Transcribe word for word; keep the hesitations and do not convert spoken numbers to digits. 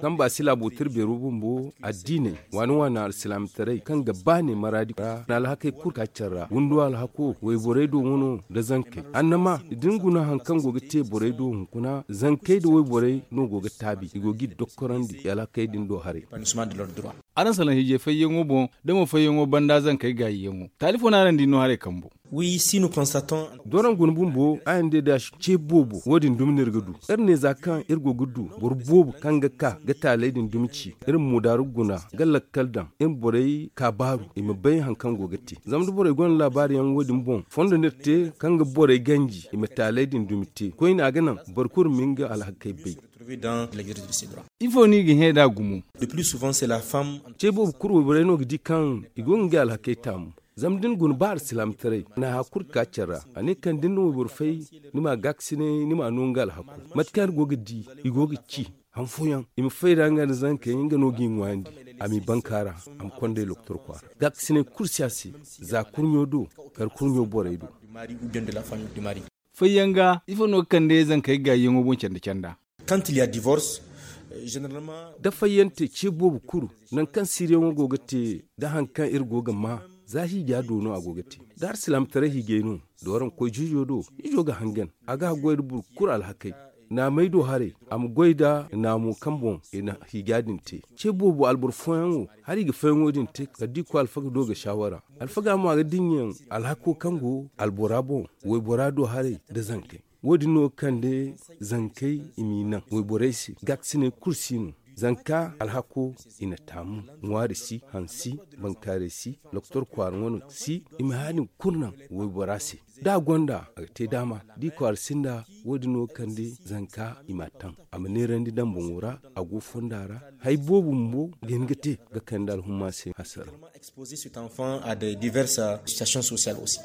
Kaŋ ba si laabo tira beero bumbo addiiney waani waani alsilaamataray kaŋ ga baane maraadi ra na alhakey kulu ka care ra windo alhako wayborey do wano nda zankey annama da ni guna hari kaŋ go ga te borey do hunkuna zankey nda wayborey no go ga taabi i go ga i dokkorandi i alhakey din do haray. Araŋ salaŋ hiijay fayyaŋo boŋ da mo fayyaŋo banda zankey gaayiyaŋo taali fo no araŋ di no haray kambo. Doraŋ guna bumbo araŋ day da ce boobo wo- din dumi no iri ga du. Iri ne za kaŋ iri go ga du boro boobo kaŋ ga ka ga taaley din dumi ci iri ma moodaaru guna ga lakkal daŋ iri ma borey kaabaaru i ma bay hari kaŋ go ga te. Zama da borey gonda laabaari yaŋ wo- din boŋ fondo no iri te kaŋ ga borey ganji i ma taaley din dumi te koyne a ga naŋ boro kulu ma nga alhakey bay. Ifo no i ga hẽ nd'a gumo? Ce boobo kulu wayborey no ga di kaŋ i go ga ngey alhakey taamu. Zama da ni guna ba alsilaamataray na haya kulu ga ka care ra a ne kaŋ da ni na wayboro fay ni ma gaakasinay ni ma no nga alhako. Mate kaŋ iri go ga di i go ga ci han fooyaŋ i ma fay da nga nda zankey nga no ga i ŋwaayandi a m'i banka ra a ma konda i lokotor kwaara gaakasinay kulu si a se. Za kurɲo do kar kurɲo borey do. Fayyaŋ ga ifo no ga kande zankey gaayyaŋo boŋ canda canda? Da fayyante ce boobo kulu nangu kaŋ siiriyaŋo go ga te da hari kaŋ iri go ga maa za hiija do no a go ga te. Da alsilaamataray hiijay no dooraŋ koy juujo do ijo ga hangan a ga goy nda boro kulu alhakey. Naamey do haray a ma goy nda naamo kaŋ boŋ i na hiija din te. Ce boobo alboro fooyaŋ wo hari i ga fayyaŋo din te kala da i koy alfaga do ga saawara alfaga mo a ga dinya alhako kaŋ go albora boŋ waybora do haray nda zankey. Wo- din no ga kande zankey i m'i naŋ wayborey se gaakasinay kulu si no. Zanka alhako i na taamu ŋwaari si hansi bankaaray si lokotor kwaara ŋwano si i ma haya din kulu naŋ waybora se. Da a gonda a ga te daama da i kwaara sinda wo- din no ga kande zanka i m'a taŋ a ma neerandi daŋ boŋo ra a go fonda ra. Hari boobo bumbo ga hin ga te ga kande alhumma se hasara. Exposer cet enfant à des diverses situations sociales aussi.